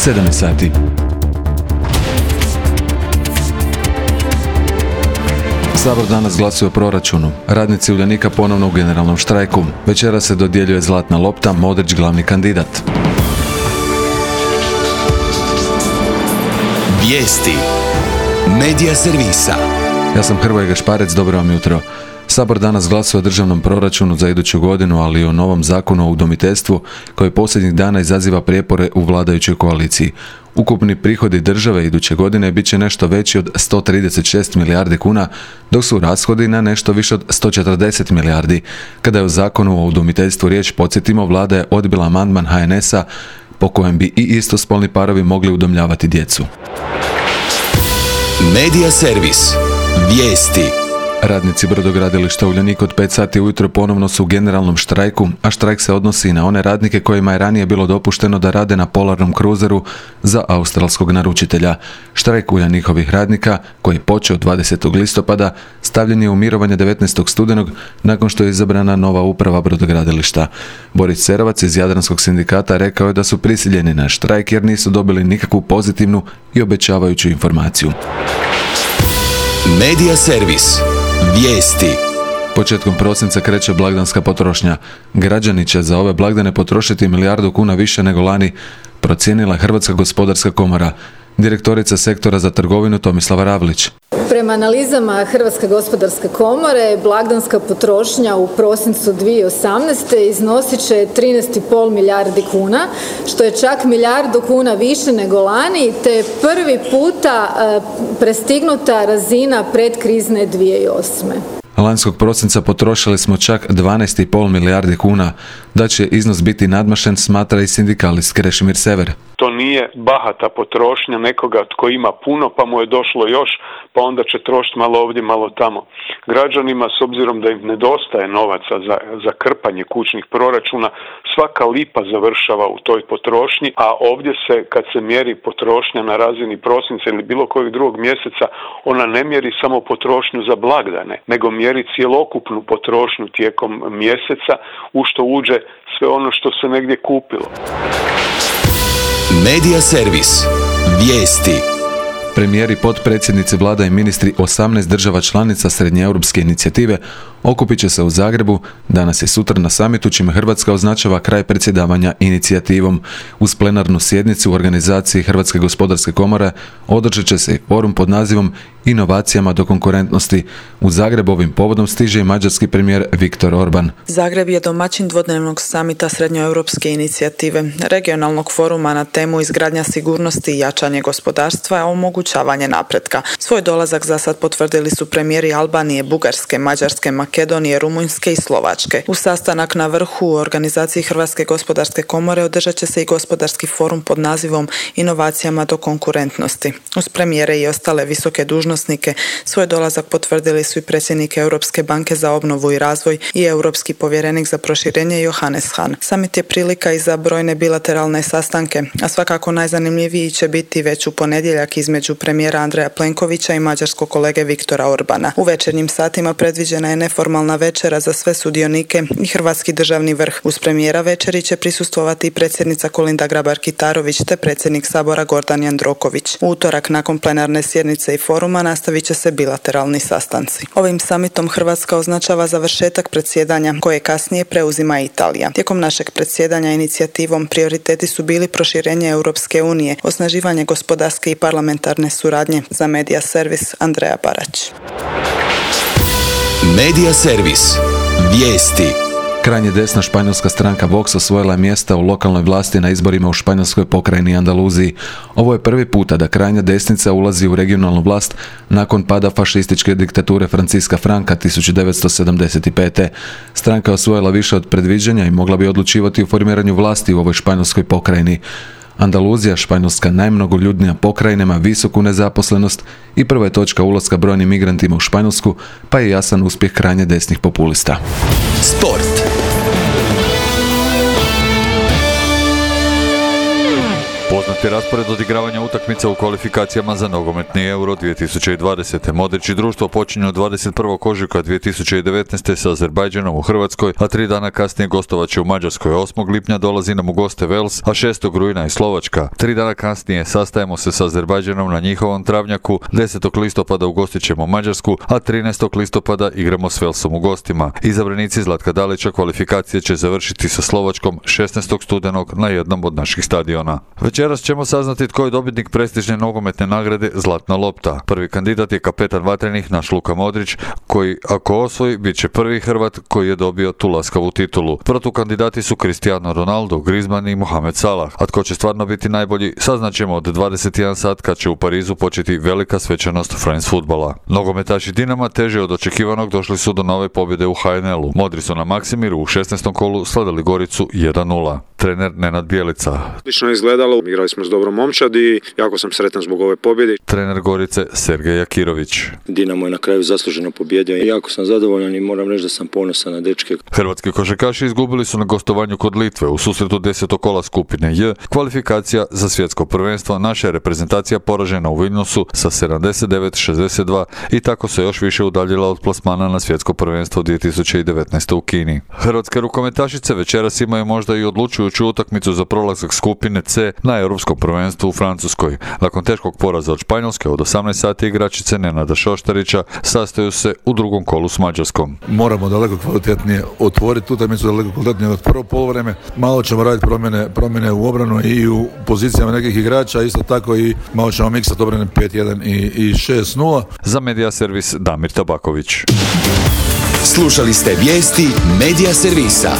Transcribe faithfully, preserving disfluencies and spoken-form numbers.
sedam sati. Sabor danas glasuje o proračunu. Radnici Uljanika ponovno u generalnom štrajku. Večera se dodjeljuje zlatna lopta, Modrić glavni kandidat. Vijesti Medija servisa. Ja sam Hrvoje Gašparec, dobro vam jutro. Sabor danas glasuje o državnom proračunu za iduću godinu, ali i o novom zakonu o udomiteljstvu koji posljednjih dana izaziva prijepore u vladajućoj koaliciji. Ukupni prihodi države iduće godine bit će nešto veći od sto trideset šest milijardi kuna, dok su rashodi na nešto više od sto četrdeset milijardi. Kada je u zakonu o udomiteljstvu riječ, podsjetimo, vlada je odbila amandman ha en es a po kojem bi i istospolni parovi mogli udomljavati djecu. Medija servis. Vijesti. Radnici brodogradilišta Uljanik od pet sati ujutro ponovno su u generalnom štrajku, a štrajk se odnosi i na one radnike kojima je ranije bilo dopušteno da rade na polarnom kruzeru za australskog naručitelja. Štrajk Uljanikovih radnika, koji je počeo dvadesetog listopada, stavljen je u mirovanje devetnaestog studenog nakon što je izabrana nova uprava brodogradilišta. Boris Cerovac iz Jadranskog sindikata rekao je da su prisiljeni na štrajk jer nisu dobili nikakvu pozitivnu i obećavajuću informaciju. Medija servis. Vijesti. Početkom prosinca kreće blagdanska potrošnja. Građani će za ove blagdane potrošiti milijardu kuna više nego lani, procijenila Hrvatska gospodarska komora. Direktorica sektora za trgovinu Tomislava Ravlić. Prema analizama Hrvatske gospodarske komore, blagdanska potrošnja u prosincu dvije tisuće osamnaeste iznosit će trinaest zarez pet milijardi kuna, što je čak milijardu kuna više nego lani, te prvi puta prestignuta razina predkrizne dvije tisuće osme. Lanjskog prosinca potrošili smo čak dvanaest zarez pet milijardi kuna. Da će iznos biti nadmašen, smatra i sindikalist Krešimir Sever. To nije bahata potrošnja nekoga tko ima puno pa mu je došlo još, pa onda će trošiti malo ovdje, malo tamo. Građanima, s obzirom da im nedostaje novaca za, za krpanje kućnih proračuna, svaka lipa završava u toj potrošnji, a ovdje se, kad se mjeri potrošnja na razini prosinca ili bilo kojeg drugog mjeseca, ona ne mjeri samo potrošnju za blagdane, nego mjeri cjelokupnu potrošnju tijekom mjeseca, u što uđe sve ono što se negdje kupilo. Medija servis. Vijesti. Premijeri, potpredsjednici vlada i ministri osamnaest država članica Srednjeeuropske inicijative okupit će se u Zagrebu danas i sutra na samitu, čime Hrvatska označava kraj predsjedavanja inicijativom. Uz plenarnu sjednicu u organizaciji Hrvatske gospodarske komore održat će se i forum pod nazivom Inovacijama do konkurentnosti. U Zagrebu ovim povodom stiže i mađarski premijer Viktor Orban. Zagreb je domaćin dvodnevnog samita Srednjoeuropske inicijative, regionalnog foruma na temu izgradnja sigurnosti i jačanje gospodarstva, a omogućavanje napretka. Svoj dolazak za sad potvrdili su premijeri Albanije, Bugarske, Mađarske, Makedonije, Rumunjske i Slovačke. U sastanak na vrhu u organizaciji Hrvatske gospodarske komore održat će se i gospodarski forum pod nazivom Inovacijama do konkurentnosti. Uz premijere i ostale visoke dužnosnike svoj dolazak potvrdili su i predsjednik Europske banke za obnovu i razvoj i europski povjerenik za proširenje Johannes Hahn. Samit je prilika i za brojne bilateralne sastanke, a svakako najzanimljiviji će biti već u ponedjeljak između premijera Andreja Plenkovića i mađarskog kolege Viktora Orbana. U večernjim satima predviđena je neformalna večera za sve sudionike i hrvatski državni vrh. Uz premijera večeri će prisustvovati i predsjednica Kolinda Grabar-Kitarović te predsjednik Sabora Gordan Jandroković. U utorak nakon plenarne sjednice i foruma nastavit će se bilateralni sastanci. Ovim samitom Hrvatska označava završetak predsjedanja koje kasnije preuzima Italija. Tijekom našeg predsjedanja inicijativom prioriteti su bili proširenje Europske unije, osnaživanje gospodarske i parlamentarne suradnje. Za Medija servis Andreja Barać. Medija servis. Vijesti. Krajnje desna španjolska stranka Vox osvojila je mjesta u lokalnoj vlasti na izborima u španjolskoj pokrajini i Andaluziji. Ovo je prvi puta da krajnja desnica ulazi u regionalnu vlast nakon pada fašističke diktature Franciska Franka tisuću devetsto sedamdeset pete. Stranka je osvojila više od predviđanja i mogla bi odlučivati o formiranju vlasti u ovoj španjolskoj pokrajini. Andaluzija, Španjolska najmnogoljudnija pokrajina, ima visoku nezaposlenost i prva je točka ulaska brojnim migrantima u Španjolsku, pa je jasan uspjeh krajnje desnih populista. Sport. Poznati raspored odigravanja utakmica u kvalifikacijama za nogometni Euro dvije tisuće dvadesete. Modrić i društvo počinju dvadeset prvog ožujka dvije tisuće devetnaeste. sa Azerbajdžanom u Hrvatskoj, a tri dana kasnije gostovat će u Mađarskoj. osmog lipnja dolazi nam u goste Vels, a šestog rujna i Slovačka. Tri dana kasnije sastajemo se sa Azerbajdžanom na njihovom travnjaku, desetog listopada ugostit ćemo Mađarsku, a trinaestog listopada igramo s Velsom u gostima. Izabranici Zlatka Dalića kvalifikacije će završiti sa Slovačkom šesnaestog studenog na jednom od naših stadiona. Večeras ćemo saznati tko je dobitnik prestižne nogometne nagrade Zlatna lopta. Prvi kandidat je kapetan Vatrenih, naš Luka Modrić, koji ako osvoji bit će prvi Hrvat koji je dobio tu laskavu titulu. Protukandidati su Cristiano Ronaldo, Griezmann i Mohamed Salah. A tko će stvarno biti najbolji, saznaćemo od dvadeset jedan sat kad će u Parizu početi velika svečanost Friends fudbala. Nogometaši Dinama teže od očekivanog došli su do nove pobjede u ha en el-u. Modri su na Maksimiru u šesnaestom kolu slavili Goricu jedan nula. Trener Nenad Bjelica. Odlično je izgledalo, igrali smo s dobrom momčadi, jako sam sretan zbog ove pobjede. Trener Gorice Sergej Jakirović. Dinamo je na kraju zasluženo pobjedio i jako sam zadovoljan i moram reći da sam ponosan na dečke. Hrvatski košarkaši izgubili su na gostovanju kod Litve u susretu desetog kola skupine J. Kvalifikacija za svjetsko prvenstvo. Naša je reprezentacija poražena u Vilnusu sa sedamdeset devet šezdeset dva i tako se još više udaljila od plasmana na svjetsko prvenstvo dvije tisuće devetnaeste. u Kini. Hrvatske rukometašice večeras imaju možda i odlučujuću utakmicu za prolazak skupine C na europskom prvenstvu u Francuskoj. Nakon teškog poraza od Španjolske od osamnaest sati igračice Nenada Šoštarića sastaju se u drugom kolu s Mađarskom. Moramo daleko kvalitetnije otvoriti utakmicu, daleko kvalitetnije od prvo poluvreme. Malo ćemo raditi promjene, promjene u obranu i u pozicijama nekih igrača, isto tako i malo ćemo miksati obrane pet jedan i, i šest nula. Za Medija servis Damir Tabaković. Slušali ste vijesti Medija servisa.